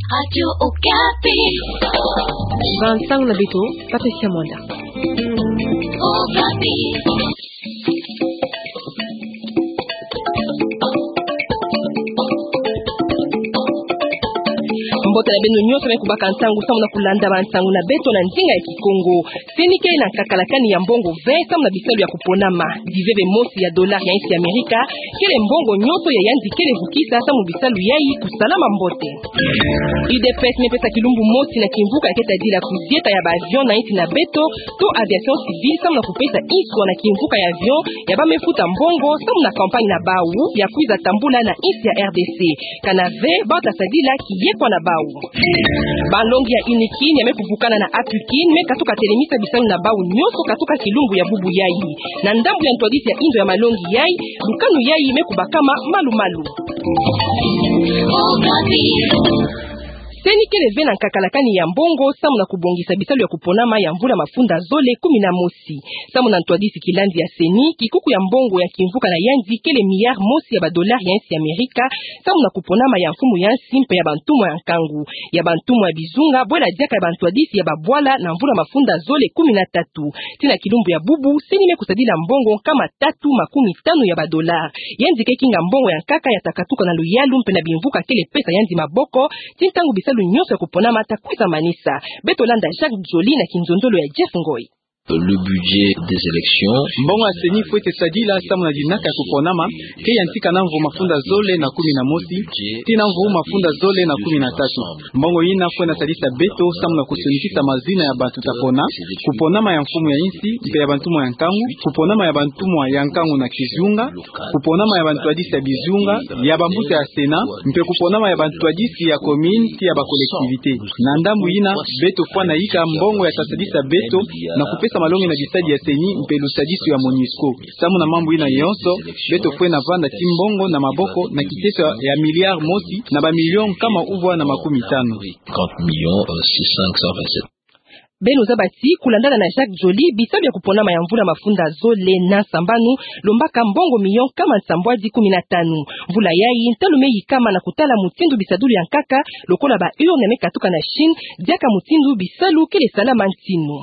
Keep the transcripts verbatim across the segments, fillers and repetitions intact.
Radio Okapi. Ba ntangu na beto, Patricia Mwanda. Okapi. Mbote na beno nyonso me kubaka ntangu samu na kulanda ba ntangu na beto na ndinga ya Kikongo. CENI kele na nkakala kani ya mbongo ve samu na bisalu ya kuponama. Diveve mosi ya dollar ya insi ya Amerika kele mbongo nyonso ya yandi kele vukisa samu bisalu yayi kusalama mbote. UDPS me pesa kilumbu mosi na kimvuka ya keta dila kuzieta ya ba avion na insi na beto to aviation civile samu na kupesa inswa na kimvuka ya avion ya ba me futa mbongo samu na campagne na bau ya kwiza tambula na insi ya RDC. Kana ve bata sadila kiyekwa na bau. Ba nlongi ya UNIKIN ya me kuvukana na APUKIN me katuka telemisa bisalu na bau nyonso katuka kilumbu ya bubu yayi. Na ndambu ya ntwadisi ya indo ya malongi yayi, lukanu yayi me kubakama malu-malu. CENI kele ve na nkakala kani ya mbongo samu na kubongisa bisalu ya kuponama ya mvula mafunda zole kumi na mosi. Samu na ntwadisi kilandi ya CENI, kikuku ya mbongo ya kimvuka na yandi kele milliard mosi ya ba dollar ya insi ya Amerika, samu na kuponama ya mfumu ya nsi mpe ya bantumwa ya nkangu, ya bantumwa ya bizunga, bwela diaka ya bantwadisi ya babwala na mvula mafunda zole kumi na tatu. Tii na kilumbu ya bubu, CENI me kusadila mbongo nkama tatu makumi tanu ya ba dollar. Yandi ke kinga mbongo ya nkaka ya ta katuka na luyalu mpe na bimvuka kele pesa yandi maboko, tii ntangu bisalu nyonso ya kuponama ta kwiza manisa. Beto landa Jacques Joly na kinzonzolo ya Jeff Ngoy. Le budget des élections. Mbongo ya CENI fwete sadila samu na dinaka ya kuponama, ke yantika na mvu mafunda zole na kumi na mosi tii na mvu mafunda zole na kumi na tatu. Mbongo yina fwete na sadisa beto samu na kusonikisa mazina ya bantu ta pona, kuponama ya mfumu ya insi mpe ya bantumwa ya nkangu, kuponama ya bantumwa ya nkangu na kizunga, kuponama ya bantwadisi ya bizunga, ya bambuta ya Sénat, mpe kuponama ya bantwadisi ya commune tii ya ba collectivité. Na ndambu yina, beto fwete na yika mbongo ya ta sadisa beto na kupesa malongi na bisadi ya CENI mpe lusadisu ya MONUSCO. Samu na mambu yina yonso, beto fwete na vanda tii mbongo na maboko na kiteso ya milliard mosi na ba million nkama uvwa na makumi tanu. Trente millions, euh, six cent, cinq cent vingt-sept. Beno zaba ti, kulandana na Jacques Joly, bisalu ya kuponama ya mvula mafunda zole na sambanu lombaka mbongo million nkama nsambwadi kumi na tanu. Mvula yayi, ntalu me yikama na kutala mutindu bisadulu ya nkaka, lokola ba urne me katuka na Chine, diaka mutindu bisalu kele salama ntinu.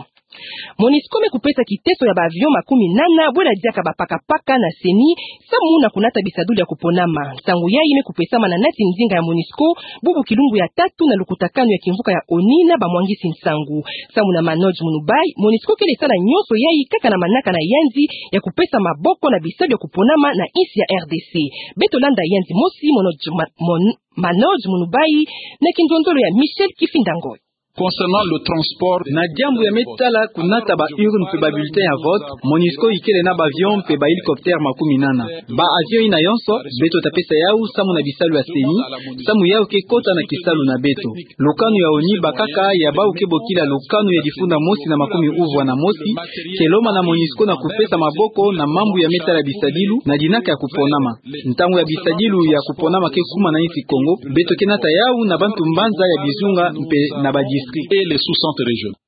MONUSCO me kupesa kiteso ya ba avion makumi nana, bwela diaka ba pakapaka na CENI, samu na kunata bisadulu ya kuponama. Nsangu yayi me kupesama na nati ndinga ya MONUSCO, bubu kilumbu ya tatu na lukutakanu ya kimvuka ya ONU na bamwangisi nsangu. Samu na Manoj Munubai, MONUSCO kele sala nyonso yayi kaka na manaka na yandi ya kupesa maboko na bisalu ya kuponama na insi ya RDC. Beto landa yandi mosi Manoj Ma-, Mon-, Manoj Munubai na kinzonzolo ya Michel Kifinda Ngoy. Concernant le transport, na diambu ya me tala kunata ba urne mpe ba bulletin ya vote, MONUSCO ikele na ba avion mpe ba hélicoptère makumi nana. Ba avion yina yonso, beto ta pesa yawu samu na bisalu ya CENI, samu yawu ke kota na kisalu na beto. Lukanu ya ONU bakaka ya bawu ke bokila lukanu ya difunda mosi na makumi uvwa na mosi, ke lomba na MONUSCO na kupesa maboko na mambu ya me tala bisadilu, na dinaka ya kuponama. Ntangu ya bisadilu ya kuponama ke kuma na insi Kongo, beto ke nata yawu na bantu mbanza ya bizunga mpe na ba district. Et les sous-centres régionaux.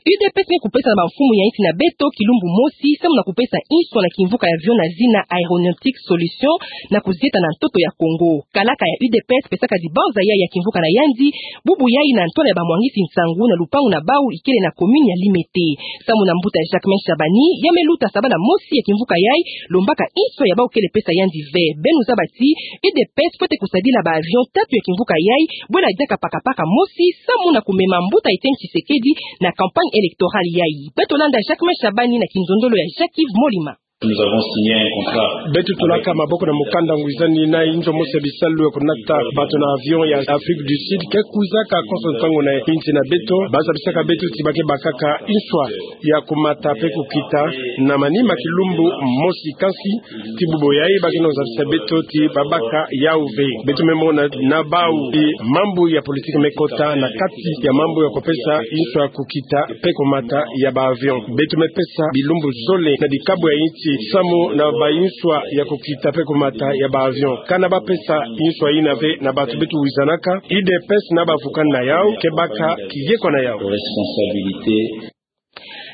UDPS me kupesa na bamfumu ya insi na beto kilumbu mosi, samu na kupesa inswa na kimvuka ya avion na zina Aéronautique Solution na kuzieta na ntoto ya Kongo. Kalaka ya UDPS pesaka dibanza yayi ya kimvuka na yandi, bubu yayi na ntwala ya bamwangisi nsangu na lupangu na bawu ikele na commune ya Limete. Samu na mbuta Jacquemain Shabani, ya me luta sabala mosi ya kimvuka yayi, lombaka inswa ya bawu kele pesa yandi ve. Beno zaba ti, UDPS fwete kusadila ba avion tatu ya kimvuka yayi, bwela diaka pakapaka mosi, samu na kumema mbuta Etienne Tshisekedi na campagne électorale yayi. Beto landa Jacquemain Shabani na kinzonzolo ya Jacques-Yves Molima. Nous avons signé un contrat. Beto tulaka maboko na mukanda ngwizani na inzo mosi ya bisalu ya kunata bato na avion ya Afrique du Sud, ke kwizaka konso ntangu na insi na beto, ba zabisaka beto ti ba ke bakaka inswa ya kumata mpe kukita na manima kilumbu mosi, kansi ti bubu yayi ba ke na zabisa beto ti ba baka yawu ve. Beto me mona na bawu ti mambu ya politique me kota na kati ya mambu ya kupesa inswa kukita mpe kumata ya ba avion. Beto me pesa bilumbu zole na bikabu ya insi samu na ba inswa ya kukita mpe kumata ya ba avion. Kana ba pesa inswa yina ve na bato beto wizanaka, UDPS na bavukani na yawu ke baka kiyekwa na yawu. Responsabilité.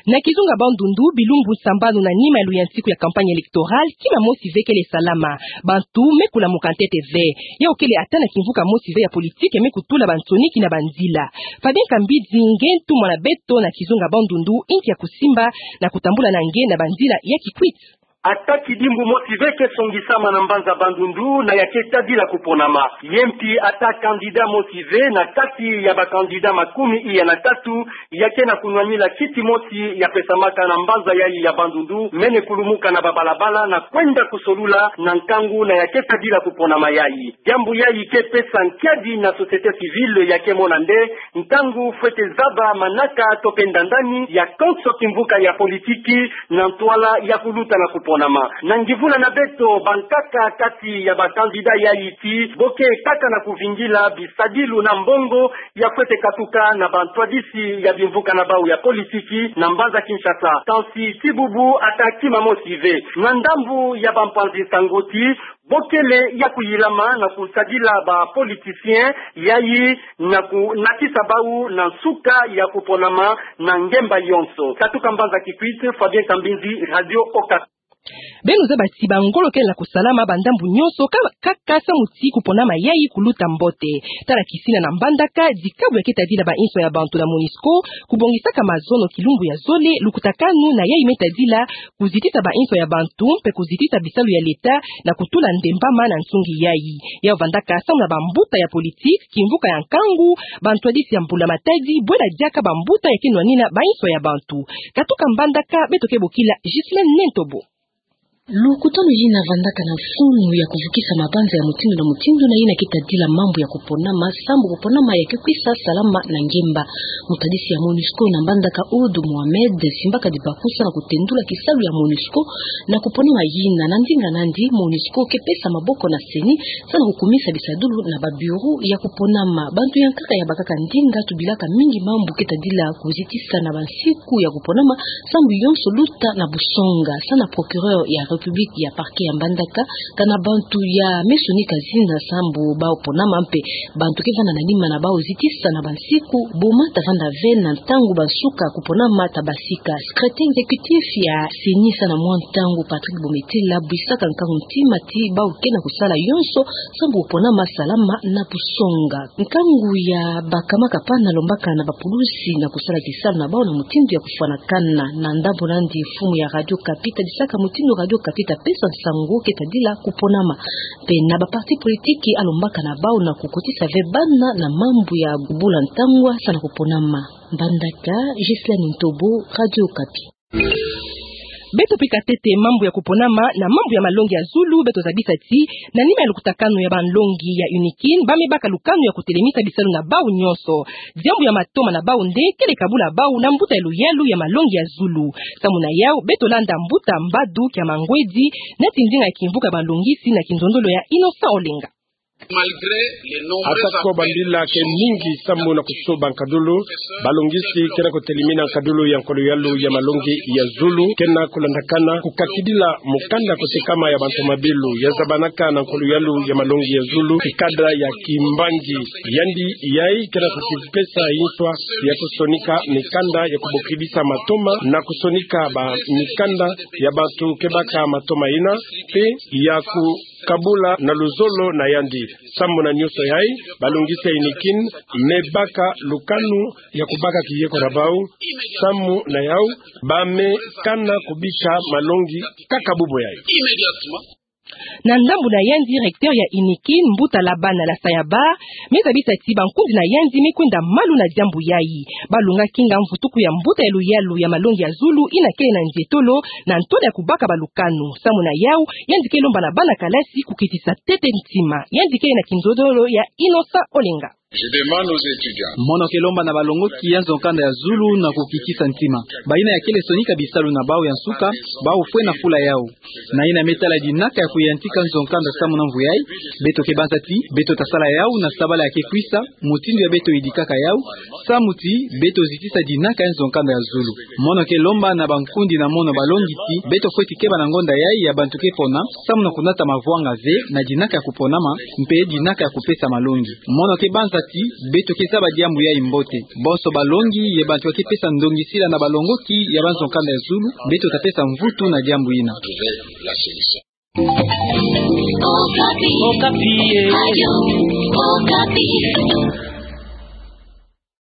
Na kizunga Bandundu, bilumbu sambanu na nima ya luyantiku ya campagne électorale, kima mosi ve kele salama. Bantu me kulamuka ntete ve. Yau kele ata na kimvuka mosi ve ya politiki ya me kutula bansoni kina banzila. Fabien Kambidzi nge ntumwa na beto na kizunga Bandundu, nti ya kusimba na kutambula na nge na banzila ya kikwit. Ata kidimbu mosi ve ke songisama na mbanza Bandundu na ya ke tadila kuponama. Ye mpi ata candidat mosi ve na kati ya ba candidat makumi iya na tatu ya ke na kunwanila kiti mosi ya pesamaka na mbanza yayi ya Bandundu, mene kulumuka na babalabala na kwenda kusolula na nkangu na ya ke tadila kuponama yayi. Diambu yayi ke pesa nkiadi na société civile ya ke mona nde ntangu fwete zaba manaka to pe ndandani ya konso kimvuka ya politiki na ntwala ya kuluta na kuponama. Na ngivula na beto, bankaka kati ya ba candidat yayi ti bo ke kaka na kuvingila bisadilu na mbongo ya fwete katuka na bantwadisi ya bimvuka na bau ya politiki na mbanza Kinshasa. Kansi ti bubu ata kima mosi ve. Na ndambu ya bampanzi nsangu ti bo kele ya kuyilama na kusadila ba politiciens yayi na kunakisa bau na nsuka ya kuponama na ngemba yonso. Katuka mbanza Kikwit, Fabien Kambidzi, Radio Okapi. Beno zaba ti bangolo kele na kusalama ba ndambu nyonso ka, ka, ka samu ti kuponama yayi kuluta mbote. Tala kisina na mbandaka, dikabu ya ke tadila bainso ya bantu na MONUSCO, kubongisaka mazono kilumbu ya zole, lukutakanu na yayi me tadila, kuzitisa bainso ya bantu, mpe kuzitisa bisalu ya leta, na kutula ndembama na nsungi yayi. Yau vandaka samu na bambuta ya politiki, kimvuka ya nkangu, bantwadisi ya mbula matadi, bwela diaka bambuta ya ke nwanina bainso ya bantu. Katuka mbandaka, beto ke bokila Ghislaine Nentobo. Lukutanu yina vandaka na mfunu ya kuvukisa mabanza ya mutindu na mutindu na yina ke tadila mambu ya kuponama, sambu kuponama ya ke kwisa salama na ngemba. Mutadisi ya MONUSCO na mbandaka Ould Mohamed simbaka dibakusa na kutendula kisalu ya MONUSCO na kuponama yina. Na ndinga nandi, MONUSCO ke pesa maboko na CENI, sa na kukumisa bisadulu na ba bureau ya kuponama. Bantu ya nkaka ya bakaka ndinga tubilaka mingi mambu ke tadila kuzitisa na bansiku ya kuponama, sambu yonso luta na busonga. Sa na procureur ya République ya parquet ya mbandaka, kana bantu ya me sonika zina sambu bau ponama mpe bantu ke vanda na nima na bau zitisa na bansiku, boma ta vanda ve na ntangu bansuka kuponama ta basika. Secrétaire exécutif ya CENI sa na mwa ntangu Patrick Bometela bwisaka nkangu ntima ti bau ke na kusala yonso sambu kuponama salama na busonga. Nkangu ya bakama kapana lombaka na bapulusi na kusala kisalu na bau na mutindu ya kufwanakana. Na ndambu nandi, mfumu ya Radio Okapi tadisaka mutindu Radio Okapi ta pesa nsangu ke tadila kuponama. Mpe na ba parti politiki alombaka na bau na kukotisa ve bana na mambu ya kubula ntangwa sa na kuponama. Mbandaka, Ghislaine Nentobo, Radio Okapi. Beto pika ntete mambu ya kuponama na mambu ya malongi ya zulu, beto zabisa ti, na nima ya lukutakanu ya banlongi ya UNIKIN, ba me baka lukanu ya kutelemisa bisalu na bau nyonso. Diambu ya matoma na bau nde kele kabula bau na mbuta ya luyalu ya malongi ya zulu. Samu na yau, beto landa mbuta Mbadu Kiamangwedi, neti ndinga ya kimvuka banlongisi na kinzonzolo ya Innocent Olenga. Ata ko bambila ke mingi sambu na kusoba nkadulu, balongisi ke na kutelemina nkadulu ya nkolo-yalu ya malongi ya zulu, ke na kulandakana kukakidila mukanda kusikama ya bantu mabilu, ya zabanaka na nkolo-yalu ya malongi ya zulu, nkanda ya kimbangi. Yandi yayi ke na kukipesa nswa ya kusonika mikanda ya kubokidisa matoma, na kusonika ba mikanda ya bantu ke baka matoma ina, mpe ya ku kabula na luzolo na yandi. Samu na nyonso yayi, balongisi ya UNIKIN me baka lukanu ya kubaka kiyeko na bau. Samu na yau, ba me kana kubika malongi kaka bubu yayi. Na ndambu na yandi, directeur ya UNIKIN, mbuta Labana Lasayaba, me zabisa ti bankundi na yandi me kwenda malu na diambu yayi. Balunga kinga mvutuku ya mbuta ya luyalu ya malongi ya zulu ina kele na nzietolo, na ntwala ya kubaka balukanu. Samu na yau, yandi ke lomba na bana kalasi kukitisa ntete ntima. Yandi kele na kinzonzolo ya Innocent Olenga. Je demande aux étudiants. Mono ke lomba na balongoki ya nzo-nkanda ya zulu na kukitisa ntima. Bayina ya kele sonika bisalu na bau ya nsuka, bau fwe na fula yau. Na yina me tala dinaka ya kuyantika nzo-nkanda samu na mvu yayi, beto ke banza ti, beto ta sala yau na sabala ya ke kwisa, mutindu ya beto yidikaka yau, samu ti beto zitisa dinaka ya nzo-nkanda ya zulu. Mono ke lomba na bankundi na mono balongi ti, beto fweti keba na ngonda yayi ya bantu ke pona, samu na kunata mavwanga ve na dinaka ya kuponama, mpe dinaka ya kupesa malongi. Mono ke banza ti beto ke zaba diambu yayi mbote. Bonso balongi ye bantu ba ke pesa ndongisila na balongoki ya banzo kanda ya zulu, beto ta pesa mvutu na diambu yina. Okapi. Okapi, eh. Radio Okapi.